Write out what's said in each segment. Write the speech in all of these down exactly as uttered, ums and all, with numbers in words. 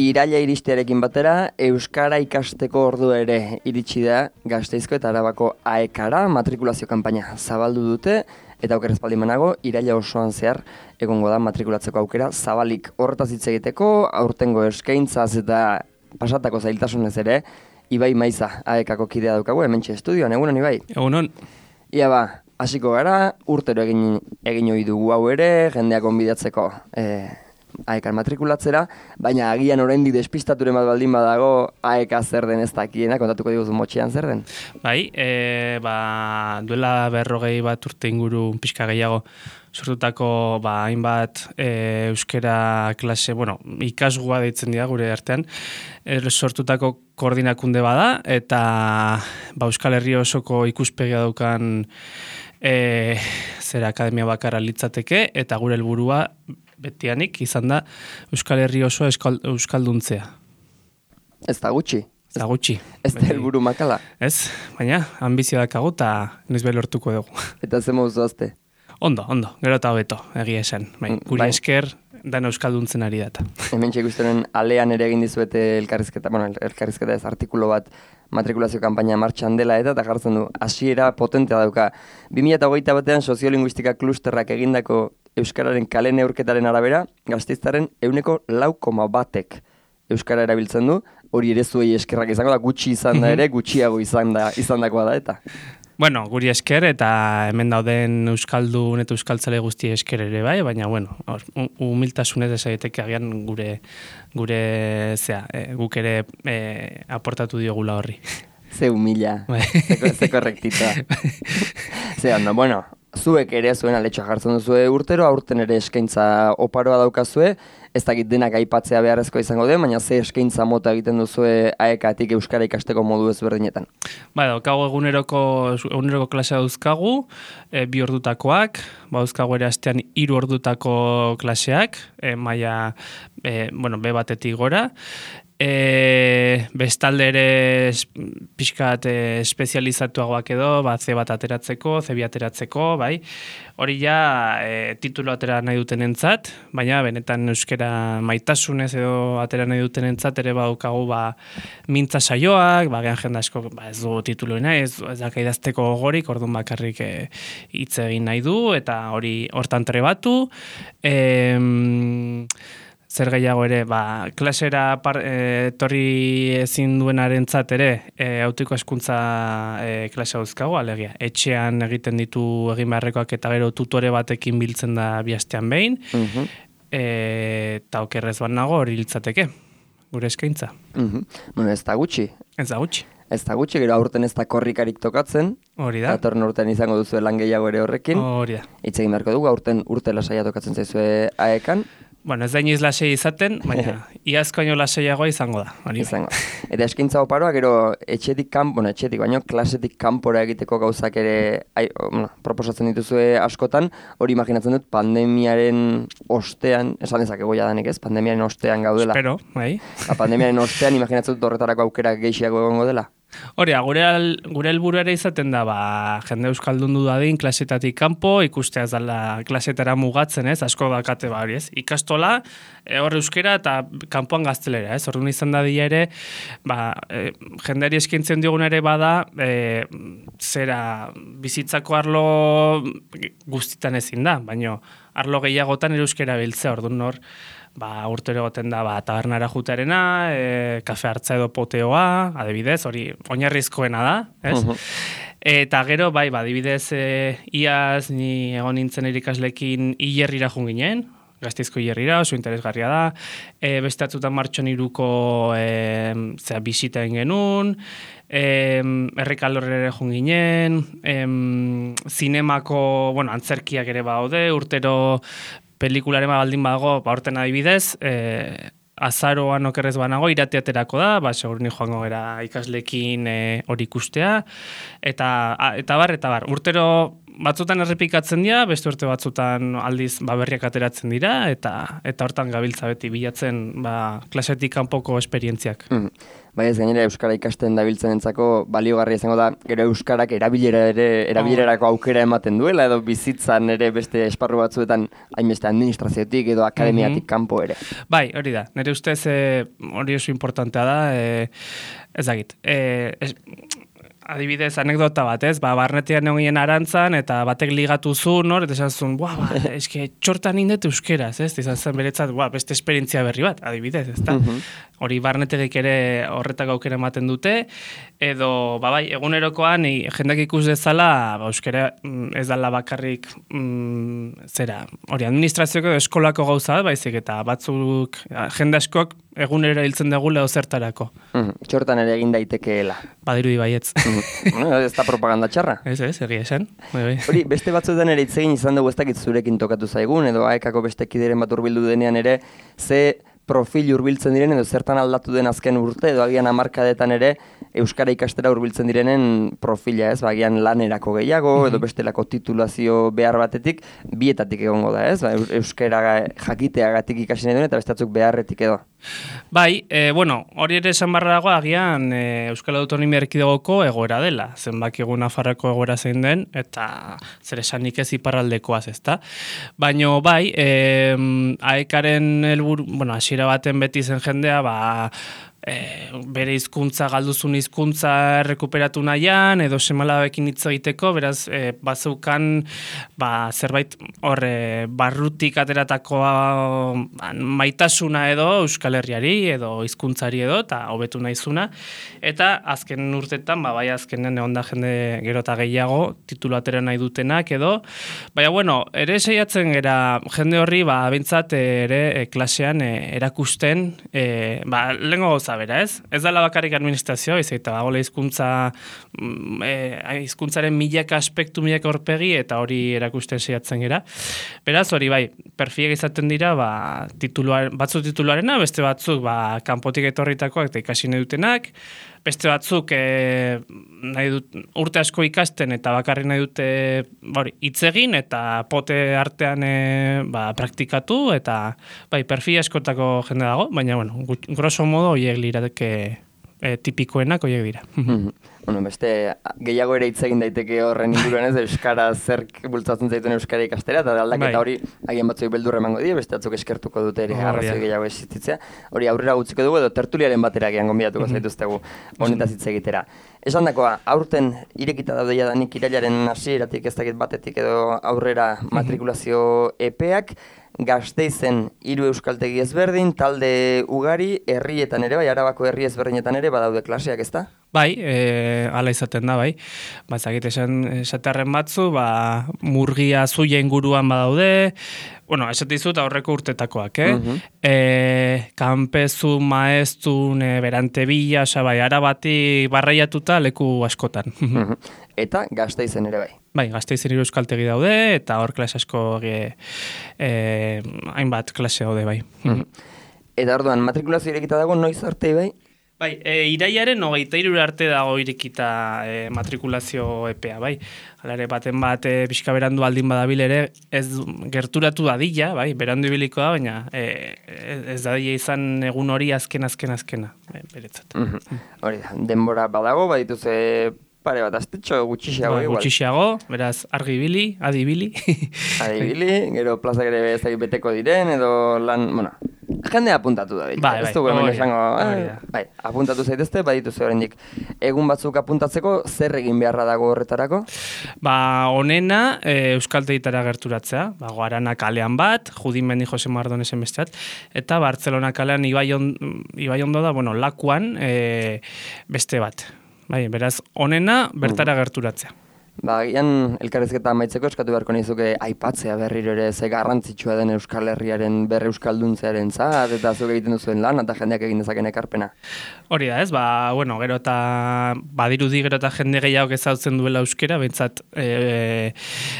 Iraila iristearekin batera, Euskara ikasteko ordu ere iritsi da Gasteizko eta Arabako aekara matrikulazio kanpaina zabaldu dute, eta okerrez baldin banago, iraila osoan zehar egongo da matrikulatzeko aukera zabalik. Horretaz hitz egiteko, aurtengo eskaintzaz eta pasatako zailtasunez ere, Ibai Maiza aekako kidea daukagu, hementxe estudioan, egunon Ibai? Egunon. Ia ba, hasiko gara, urtero egin, egin ohi dugu hau ere, jendeak onbidatzeko eh, aekan matrikulatzera, baina agian oraindik despistaturen bat baldin badago aeka zer den ez dakiena, kontatuko diguzu motxean zer den? Bai, e, ba, duela berrogei bat urte inguru pixka gehiago sortutako ba, hainbat e, euskera klase, bueno, ikasgoa deitzen dira gure artean, e, sortutako koordinakunde bada, eta ba, Euskal Herri osoko ikuspegia daukan e, zera akademia bakarra litzateke, eta gure helburua betianik izan da Euskal Herri osoa euskal, euskalduntzea. Ez da gutxi. Ez da gutxi. Ez da helburu makala. Ez, baina ambizio dakagu eta noiz behar lortuko dugu. Eta ze modu zoazte? Ondo, ondo, gero eta hobeto, egia esan. Bai, guri bai. Esker dan euskalduntzen ari data. Hemen txekustenen alean ere egin dizuete elkarrizketa, bueno, elkarrizketa ez artikulu bat matrikulazio kanpaina martxan dela eta eta jartzen du, hasiera potentea dauka. bi mila hogeita batean soziolinguistika klusterrak egindako Euskararen kale neurketaren arabera, Gasteiztaren ehuneko lau koma batek Euskara erabiltzen du, hori ere zuei eskerrak izango da, gutxi izan da ere, gutxiago izan da, izandakoa da eta. Bueno, guri esker eta hemen dauden euskaldun eta euskaltzale guzti esker ere bai, baina bueno, humiltasunez esaiteke agian gure gure zea, e, guk ere e, aportatu diogula horri. Ze humila, ze, ze korrektita. Ze ondo, bueno, zuek ere zuen aletxoa jartzen duzue urtero, aurten ere eskaintza oparoa daukazue, ez dakit denak aipatzea beharrezko izango den, baina ze eskaintza mota egiten duzue aekatik euskara ikasteko modu ezberdinetan. Ba, daukagu eguneroko, eguneroko klasea dauzkagu, e, bi ordutakoak, ba, dauzkagu ere astean hiru ordutako klaseak, e, maila, e, bueno, be batetik gora, E, bestalde ere pixkat e, espezializatuagoak edo, ba, ze bat ateratzeko, ze bi ateratzeko, bai. Hori ja e, titulu atera nahi duten entzat, baina benetan euskera maitasunez edo atera nahi duten entzat ere badaukagu ba, mintza saioak, ba, gehan jende asko ba, ez du tituluena, ez, ez daka idazteko gogorik, orduan bakarrik e, hitz egin nahi du, eta hori hortan trebatu. E, Zer gehiago ere, ba, klasera par, e, torri ezin duenarentzat ere, e, autiko eskuntza e, klase dauzkagu, alegia. Etxean egiten ditu egin beharrekoak eta gero tutore batekin biltzen da bi astean behin, uh-huh. e, eta okerrez bat nago hori litzateke, gure eskaintza. Uh-huh. Bueno, ez da gutxi. Ez da gutxi. Ez da gutxi, gero aurten ez da korrikarik tokatzen. Hori da. Atorren urtean izango duzu lan gehiago ere horrekin. Hori da. Hitz egin beharko dugu, aurten urte lasaia tokatzen zaizue aekan. Bueno, ez da iniz lasei izaten, baina iazko aino laseiagoa izango da. Hori izango. Eta eskaintza oparoa, gero etxetik kanpo, bueno, etxetik, baino klasetik kanpora egiteko gauzak ere ai, bueno, proposatzen dituzue askotan, hori imaginatzen dut pandemiaren ostean, esan dezakegu jadanik ez, pandemiaren ostean gaudela. Espero, bai. Ba, pandemiaren ostean imaginatzen dut horretarako aukera gehiago egongo dela. Hori, gure, al, gure helburu ere izaten da, ba, jende euskaldun du dadin, klasetatik kanpo, ikustea ez dala klasetara mugatzen, ez, asko dakate ba hori, ez, ikastola, e, hor euskera eta kanpoan gaztelera, ez, orduan izan da dira ere, ba, e, jendeari eskintzen diogun ere bada, e, zera, bizitzako arlo guztitan ezin da, baino, arlo gehiagotan ere euskera biltzea, orduan hor, ba, urtero egoten da, ba, tabernara jutearena, e, kafe hartza edo poteoa, adibidez, hori oinarrizkoena da, ez? Uh-huh. Eta gero, bai, ba, adibidez, e, iaz, ni egon nintzen irikaslekin hilerrira jun ginen, Gasteizko hilerrira, oso interesgarria da, e, beste atzutan martxon iruko e, zera, bisita egin genuen, e, errekaldorrera jun ginen, e, zinemako, bueno, antzerkiak ere baude, urtero pelikularen baldin badago, ba, horten adibidez, e, azaroan okerrez banago, irateaterako da, ba, segurini joango gara ikaslekin hori e, ikustea, eta, a, eta bar, eta bar, urtero batzutan errepikatzen dira, beste urte batzutan aldiz ba, berriak ateratzen dira, eta eta hortan gabiltza beti bilatzen ba, klasetik kanpoko esperientziak. Mm. Bai, ez gainera euskara ikasten dabiltzenentzako baliogarria izango da, gero euskarak erabilera ere erabilerarako aukera ematen duela edo bizitzan ere beste esparru batzuetan hainbeste administraziotik edo akademiatik kanpo ere. Bai, hori da. Nire ustez e, hori oso importantea da, e, ez dakit. E, es, adibidez, anekdota bat, ez? Ba, barnetean egin arantzan, eta batek ligatu zu, nor? Eta esan zuen, buah, ba, eske, txortan indet euskeraz, ez? Izan zen beretzat, buah, beste esperientzia berri bat, adibidez, ez da? Uh-huh. Hori barnetegik ere horretako aukera ematen dute, edo, ba, bai, egunerokoan, jendak ikus dezala, ba, euskera ez dala bakarrik, mm, zera, hori, administrazioko edo eskolako gauza, baizik, eta batzuk, jende askok, egunero hiltzen dugu leho zertarako. Uh-huh. Txortan ere egin daitekeela. Badirudi baietz. No, ez da propaganda txarra. Ez, ez, egia esan. Hori, beste batzuetan ere itzegin izan dugu ez dakit zurekin tokatu zaigun, edo aekako beste kideren bat hurbildu denean ere, ze profil hurbiltzen diren, edo zertan aldatu den azken urte, edo agian hamarkadetan ere, euskara ikastera hurbiltzen direnen profila, ez? Ba, agian lanerako gehiago, mm-hmm. edo bestelako titulazio behar batetik, bietatik egongo da, ez? Ba, euskara jakiteagatik ikasi nahi duen, eta bestatzuk beharretik edo. Bai, e, bueno, hori ere esan barra dago agian e, Euskal Autonomia Erkidegoko egoera dela, zenbaki egun Nafarroko egoera zein den, eta zer esanik ez iparraldekoaz, ezta? Baina bai, e, aekaren helburu, bueno, hasiera baten beti zen jendea, ba, E, bere hizkuntza galduzun hizkuntza errekuperatu nahian edo semalabekin hitz egiteko, beraz e, bazeukan ba, zerbait hor e, barrutik ateratako maitasuna edo Euskal Herriari edo hizkuntzari edo eta hobetu naizuna, eta azken urtetan ba, bai azkenen egon da jende gero eta gehiago titulu atera nahi dutenak edo, baina bueno, ere saiatzen gera jende horri ba, bintzat ere e, klasean e, erakusten e, ba, lehenko gauza bera, ez? Ez dela bakarrik administrazioa, ez eta bagola hizkuntza hizkuntzaren e, milaka aspektu, milaka horpegi, eta hori erakusten saiatzen gera. Beraz, hori bai, perfilak izaten dira, ba, tituluar, batzu tituluarena, beste batzuk ba, kanpotik etorritakoak eta ikasi nahi dutenak, beste batzuk e, nahi dut, urte asko ikasten eta bakarrik nahi dute hori, hitz egin eta pote artean e, ba, praktikatu, eta bai, perfil askotako jende dago, baina, bueno, grosso modo, horiek lirateke e, tipikoenak horiek dira. Bueno, beste gehiago ere hitz egin daiteke horren inguruan ez, euskara zerk bultzatzen zaituen euskara ikastera, eta aldaketa bai. Hori agian batzuk beldurra emango die, beste batzuk eskertuko dute ere, oh, arrazoi gehiago existitzea. Hori aurrera gutziko dugu edo tertuliaren batera agian gonbidatuko zaituztegu honetaz hitz egitera. Esan dakoa, aurten irekita daude jadanik irailaren hasieratik ez dakit batetik edo aurrera matrikulazio epeak, Gasteizen hiru euskaltegi ezberdin, talde ugari, herrietan ere, bai, Arabako herri ezberdinetan ere badaude klaseak, ezta? Bai, e, ala izaten da, bai. Ba, ezagit esan esaterren batzu, ba, murgia zuia inguruan badaude, bueno, esate dizut aurreko urtetakoak, eh? Uh-huh. E, kanpezu, maeztun, e, berantebila, oza, bai, Arabati barraiatuta leku askotan. Uh-huh. Eta Gasteizen ere bai. Bai, Gasteizen hiru euskaltegi daude, eta hor klase asko e, e, hainbat klase daude, bai. Uh-huh. Eta orduan, matrikulazio irekita dago, noiz arte bai? Bai, e, iraiaren hogeita hiru arte dago irekita e, matrikulazio epea, bai. Hala ere, baten bat e, pixka berandu aldin badabil ere, ez gerturatu dadila, bai, berandu ibiliko da, baina e, ez dadila izan egun hori azken, azken, azkena, e, beretzat. Mm-hmm. Hori da, denbora badago, badituz e, pare bat aztetxo, gutxixiago, ba, igual. Gutxixiago, beraz, argi ibili, adi ibili. Adi ibili, gero plazak ere ez dakit beteko diren, edo lan, bueno, jende apuntatu da. Bai, bai, ez dugu hemen esango, eh, bai, apuntatu zaitezte, badituzu oraindik egun batzuk apuntatzeko, zer egin beharra dago horretarako? Ba, honena, e, euskaltegitara gerturatzea, ba, Guarana kalean bat, Judimendi Jose Mardonesen besteat, eta Bartzelona kalean Ibaion, Ibaiondo da, bueno, lakuan e, beste bat. Bai, beraz, honena bertara gerturatzea. Ba, gian elkarrizketa amaitzeko eskatu beharko nizuke aipatzea berriro ere ze garrantzitsua den Euskal Herriaren berre euskalduntzearen zat, eta zuk egiten duzuen lan, eta jendeak egin dezaken ekarpena. Hori da, ez, ba, bueno, gero eta badirudi gero eta jende gehiago ezautzen duela euskera, behintzat e,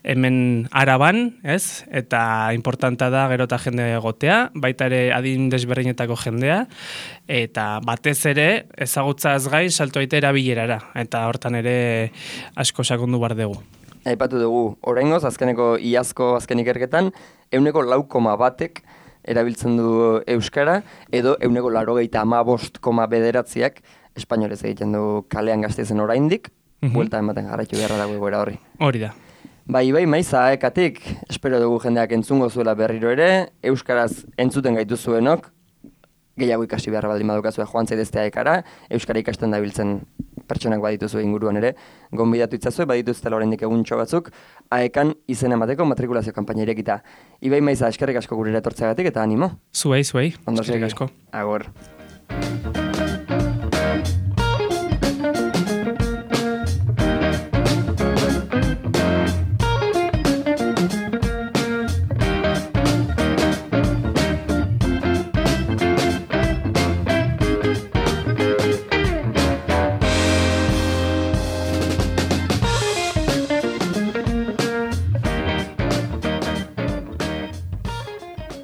hemen Araban, ez, eta importanta da gero eta jende egotea, baita ere adin desberdinetako jendea, eta batez ere ezagutzaz gain salto aite erabilerara, eta hortan ere asko sakondu bar dugu. Aipatu dugu, oraingoz azkeneko iazko azken ikerketan, ehuneko lau koma batek erabiltzen du euskara, edo ehuneko laurogeita hamabost koma bederatziak espainolez egiten du kalean Gasteizen oraindik, Mhm. buelta ematen jarraitu beharra dago egoera horri. Hori da. Bai, bai, maiza, ekatik, espero dugu jendeak entzungo zuela berriro ere, euskaraz entzuten gaituzuenok, gehiago ikasi beharra baldin badukazue joan zaiteztea ekara, euskara ikasten dabiltzen pertsonak badituzu inguruan ere, gonbidatu itzazue, badituztela oraindik eguntxo batzuk, aekan izen emateko matrikulazio kanpaina irekita. Ibai maiza, eskerrik asko gurera etortzeagatik eta animo. Zuei, zuei. Ondo Eskerrik segi. asko. Agor.